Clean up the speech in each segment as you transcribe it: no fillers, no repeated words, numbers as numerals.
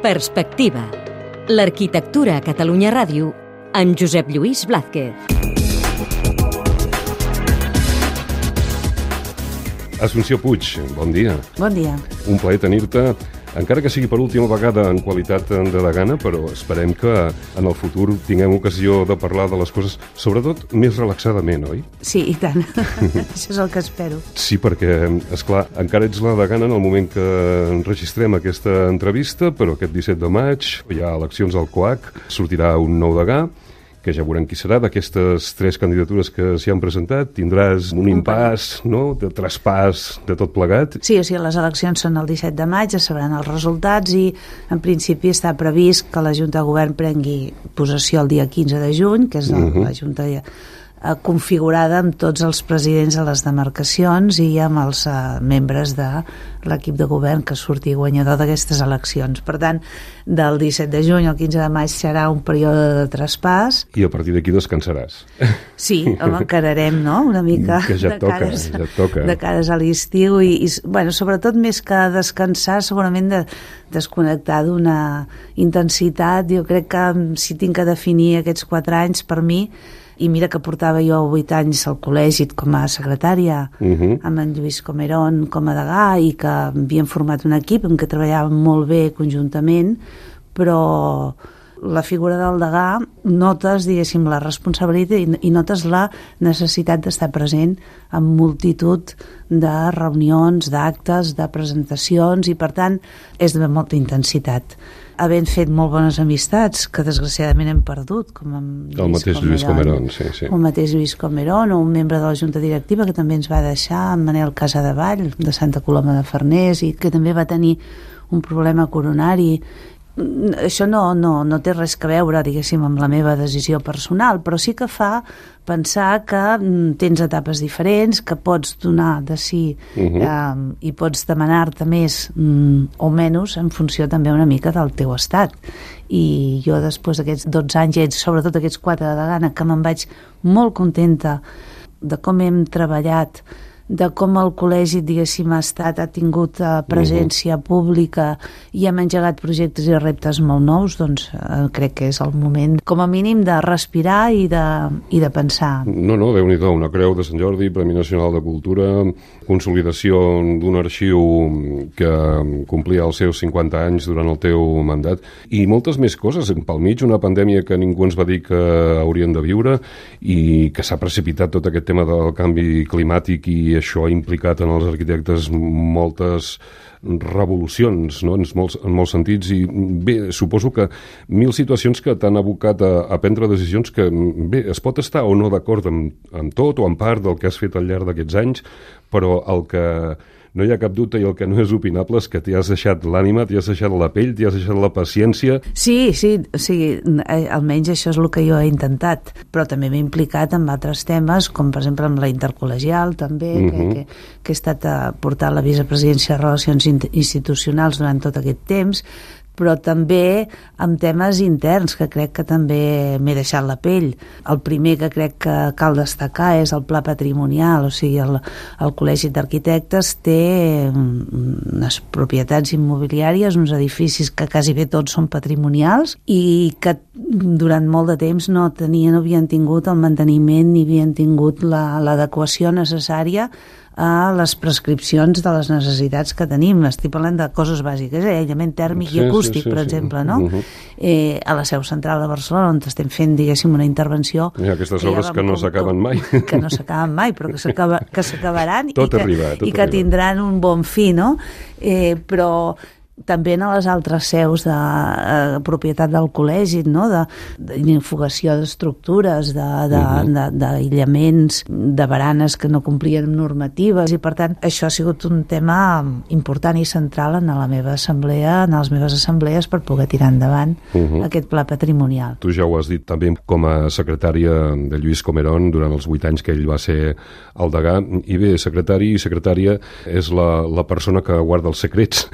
Perspectiva. L'arquitectura a Catalunya Ràdio amb Josep Lluís Blázquez. Assumpció Puig, bon dia. Bon dia. Un plaer tenir-te, encara que sigui per última vegada en qualitat de degana, però esperem que en el futur tinguem ocasió de parlar de les coses, sobretot més relaxadament, oi? Sí, i tant. Això és el que espero. Sí, perquè, esclar, encara ets la degana en el moment que enregistrem aquesta entrevista, però aquest 17 de maig hi ha eleccions al COAC, sortirà un nou degà, que ja veurem qui serà. D'aquestes 3 candidatures que s'hi han presentat, tindràs un impàs, no?, de traspàs de tot plegat. Sí, o sigui, les eleccions són el 17 de maig, es sabran els resultats i en principi està previst que la Junta de Govern prengui possessió el dia 15 de juny, que és la Junta configurada amb tots els presidents de les demarcacions i amb els membres de l'equip de govern que surti guanyador d'aquestes eleccions. Per tant, del 17 de juny al 15 de maig serà un període de traspàs. I a partir d'aquí descansaràs. Sí, encararem, no?, una mica que ja et toca. De cares a l'estiu i bueno, sobretot més que descansar, segurament de desconnectar d'una intensitat. Jo crec que si tinc que definir aquests 4 anys per mi, i mira que portava jo 8 anys al col·legi com a secretària amb en Lluís Comerón com a degà i que havíem format un equip en què treballàvem molt bé conjuntament, però la figura del degà notes, diguéssim, la responsabilitat i notes la necessitat d'estar present en multitud de reunions, d'actes, de presentacions i per tant és de molta intensitat. Havent fet molt bones amistats, que desgraciadament hem perdut, com el mateix Lluís Comerón, sí. El mateix Lluís Comerón, o un membre de la Junta Directiva que també ens va deixar, en Manel Casadevall, de Santa Coloma de Farners, i que també va tenir un problema coronari. Això no té res a veure, diguéssim, amb la meva decisió personal, però sí que fa pensar que tens etapes diferents, que pots donar de si i pots demanar-te més o menys en funció també una mica del teu estat. I jo després d'aquests 12 anys, sobretot aquests 4 de degana, que me'n vaig molt contenta de com hem treballat, de com el col·legi, diguéssim, ha tingut presència pública i hem engegat projectes i reptes molt nous, doncs crec que és el moment, com a mínim, de respirar i de pensar. No, Déu-n'hi-do, una creu de Sant Jordi, Premi Nacional de Cultura, consolidació d'un arxiu que complia els seus 50 anys durant el teu mandat, i moltes més coses. Pel mig, una pandèmia que ningú ens va dir que haurien de viure i que s'ha precipitat tot aquest tema del canvi climàtic, i això ha implicat en els arquitectes moltes revolucions, no?, en molts sentits, i bé, suposo que 1000 situacions que t'han abocat a prendre decisions que, bé, es pot estar o no d'acord amb tot o en part del que has fet al llarg d'aquests anys, però el que no hi ha cap dubte i el que no és opinable és que t'hi has deixat l'ànima, t'hi has deixat la pell, t'hi has deixat la paciència. Sí, almenys això és el que jo he intentat, però també m'he implicat en altres temes, com per exemple amb la intercol·legial també, que he estat portant la vicepresidència de Relacions Institucionals durant tot aquest temps, però també amb temes interns que crec que també m'he deixat la pell. El primer que crec que cal destacar és el pla patrimonial, o sigui, el Col·legi d'Arquitectes té unes propietats immobiliàries, uns edificis que quasi bé tots són patrimonials i que durant molt de temps no havien tingut el manteniment ni havien tingut l'adequació necessària a les prescripcions de les necessitats que tenim. Estic parlant de coses bàsiques, aïllament tèrmic i acústic, per exemple, no? A la seu central de Barcelona, on estem fent, diguéssim, una intervenció... Aquestes obres que no s'acaben mai. Que no s'acaben mai, però que s'acabaran i que tindran un bon fi, no? Però també en les altres seus de propietat del col·legi, no?, d'infugació d'estructures, d'aïllaments, de baranes que no complien normatives, i per tant això ha sigut un tema important i central en la meva assemblea, en les meves assemblees, per poder tirar endavant aquest pla patrimonial. Tu ja ho has dit també com a secretària de Lluís Comerón durant els 8 anys que ell va ser el degà, i bé, secretari i secretària és la persona que guarda els secrets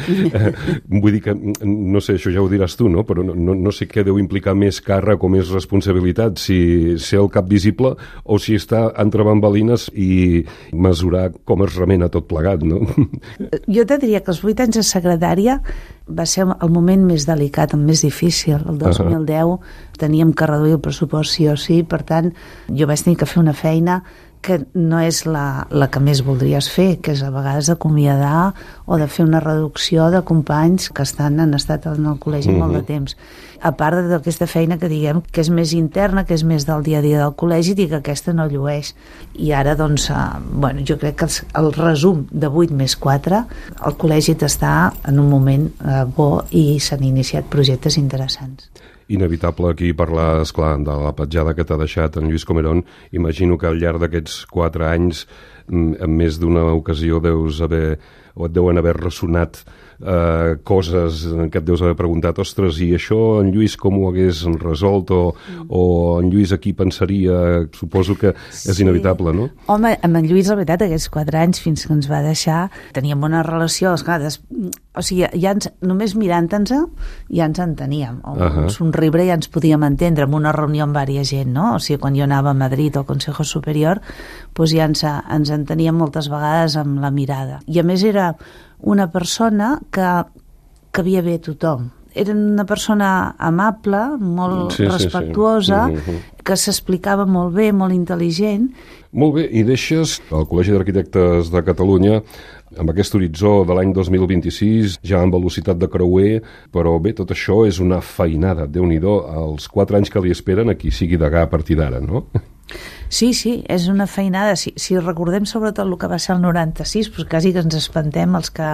Vull dir que, no sé, això ja ho diràs tu, no? Però no sé què deu implicar més càrrec o més responsabilitat, si ser el cap visible o si està entre bambalines i mesurar com es remena tot plegat, no? Jo te diria que els 8 anys de secretària va ser el moment més delicat, el més difícil. El 2010 teníem que reduir el pressupost sí o sí, per tant, jo vaig tenir que fer una feina que no és la que més voldries fer, que és a vegades acomiadar o de fer una reducció de companys que han estat en el col·legi molt de temps. A part d'aquesta feina que diguem que és més interna, que és més del dia a dia del col·legi i que aquesta no llueix. I ara, doncs, jo crec que el resum de 8 més 4, el col·legi està en un moment bo i s'han iniciat projectes interessants. Inevitable aquí parlar, esclar, de la petjada que t'ha deixat en Lluís Comerón. Imagino que al llarg d'aquests 4 anys, en més d'una ocasió et deuen haver ressonat coses que et deus haver preguntat, ostres, i això en Lluís com ho hagués resolt, o en Lluís aquí pensaria, suposo que és inevitable, no? Home, amb en Lluís, la veritat, aquests 4 anys fins que ens va deixar, teníem bona relació, esclar, o sigui, només mirant-nos ja ens enteníem, un somriure ja ens podíem entendre en una reunió amb vària gent, no? O sigui, quan jo anava a Madrid al Consejo Superior, doncs ja ens enteníem moltes vegades amb la mirada. I a més era una persona que havia bé a tothom. Era una persona amable, molt respectuosa, que s'explicava molt bé, molt intel·ligent. Molt bé, i deixes el Col·legi d'Arquitectes de Catalunya amb aquest horitzó de l'any 2026, ja amb velocitat de creuer, però bé, tot això és una feinada, Déu-n'hi-do, els 4 anys que li esperen a qui sigui degà a partir d'ara, no? Sí, és una feinada. Si recordem sobretot el que va ser el 96, doncs quasi que ens espantem els que...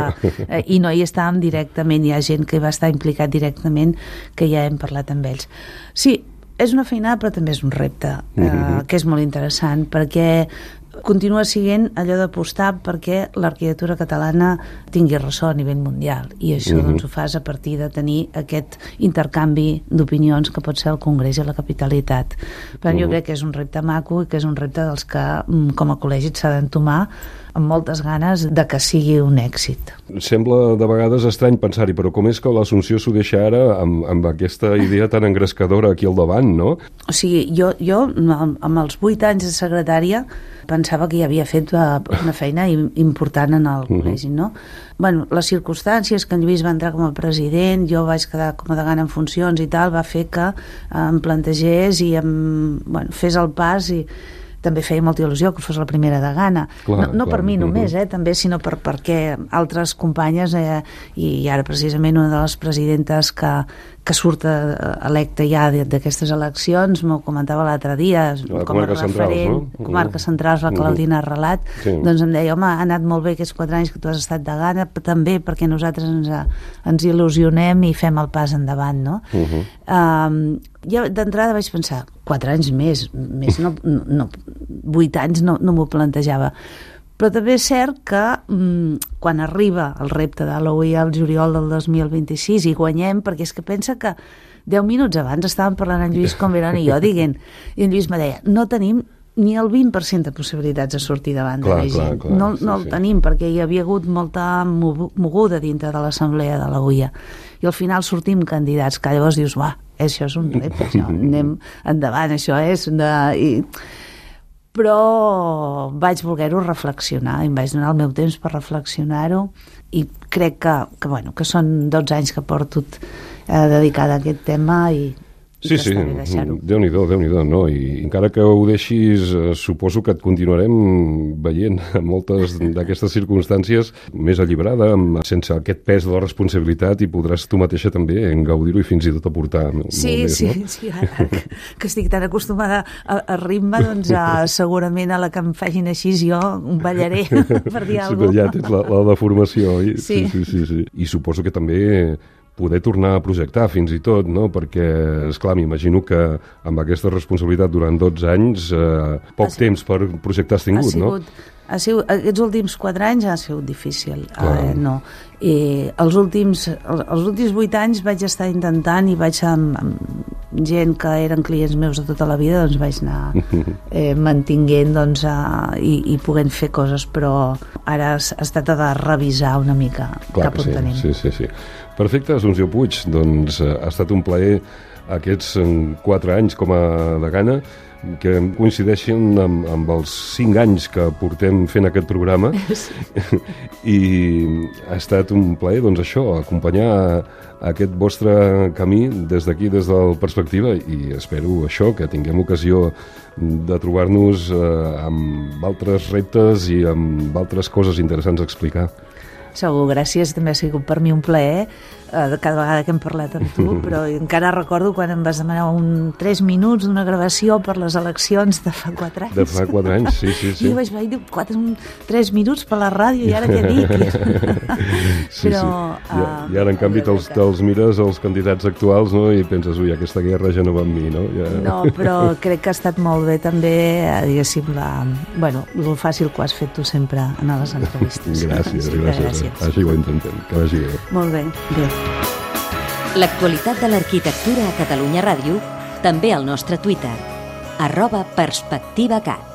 I no hi estàvem directament, hi ha gent que va estar implicat directament, que ja hem parlat amb ells. Sí, és una feinada, però també és un repte, que és molt interessant, perquè continua sent allò d'apostar perquè l'arquitectura catalana tingui ressò a nivell mundial, i això doncs ho fas a partir de tenir aquest intercanvi d'opinions que pot ser el Congrés i la capitalitat. Però jo crec que és un repte maco i que és un repte dels que com a col·legi s'ha d'entomar amb moltes ganes de que sigui un èxit. Sembla de vegades estrany pensar-hi, però com és que l'Assumpció s'ho deixa ara amb aquesta idea tan engrescadora aquí al davant, no? O sigui, jo amb els 8 anys de secretària pensava que ja havia fet una feina important en el col·legi, no? Bueno, les circumstàncies que en Lluís va entrar com a president, jo vaig quedar com a degana en funcions i tal, va fer que em plantegés i fes el pas, i també feia molta il·lusió que fos la primera degana. No per mi només, també, sinó perquè altres companyes, i ara precisament una de les presidentes que surt electa ja d'aquestes eleccions, m'ho comentava l'altre dia, com a referent, Comarques Centrals, la Claudina Arrelat, doncs em deia, home, ha anat molt bé aquests 4 anys que tu has estat degana, també perquè nosaltres ens il·lusionem i fem el pas endavant, no? Ja d'entrada vaig pensar, 4 anys més no, 8 anys no m'ho plantejava. Però també és cert que quan arriba el repte de l'OI al juliol del 2026 i guanyem, perquè és que pensa que 10 minuts abans estàvem parlant en Lluís Comerón i jo dient, i en Lluís me deia, no tenim ni el 20% de possibilitats de sortir davant de la gent. No el tenim, perquè hi havia hagut molta moguda dintre de l'assemblea de la UIA. I al final sortim candidats, que llavors dius, això és un repte, això, anem endavant, això és... Però vaig voler-ho reflexionar i em vaig donar el meu temps per reflexionar-ho, i crec que són 12 anys que porto dedicada a aquest tema i sí, Déu-n'hi-do, no? I encara que ho deixis, suposo que et continuarem veient en moltes d'aquestes circumstàncies més alliberada, sense aquest pes de la responsabilitat, i podràs tu mateixa també gaudir-ho i fins i tot aportar molt més, no? Sí, ara que estic tan acostumada a ritme, doncs segurament a la que em facin així jo ballaré per dir alguna cosa. Ja tens la deformació, oi? Sí. I suposo que també poder tornar a projectar fins i tot, no? Perquè, esclar, m'imagino que amb aquesta responsabilitat durant 12 anys, poc temps per projectar has tingut, no? Aquests últims 4 anys ha sigut difícil, no. I els últims 8 anys vaig estar intentant i vaig gent que eren clients meus de tota la vida, doncs vaig anar mantinguent, doncs, i podent fer coses, però ara es tracta de revisar una mica cap on tenim. Sí. Perfecte, Assumpció Puig, doncs ha estat un plaer aquests 4 anys com a degana, que coincideixen amb els 5 anys que portem fent aquest programa. I ha estat un plaer, doncs això, acompanyar aquest vostre camí des d'aquí, des de la perspectiva, i espero això, que tinguem ocasió de trobar-nos amb altres reptes i amb altres coses interessants a explicar. Segur, gràcies, també ha sigut per mi un plaer cada vegada que hem parlat amb tu, però encara recordo quan em vas demanar 3 minuts d'una gravació per les eleccions de fa 4 anys. De fa 4 anys, sí. I jo vaig dir 3 minuts per la ràdio, i ara què dic? Però, I ara, en canvi, te'ls mires els candidats actuals, no? I penses, ui, aquesta guerra ja no va amb mi, no? No, però crec que ha estat molt bé també, diguéssim, el fàcil que ho has fet tu sempre en les entrevistes. Gràcies. Així ho intentem, que vagi bé. Molt bé, adéu. L'actualitat de l'arquitectura a Catalunya Ràdio, també al nostre Twitter, @perspectivacat.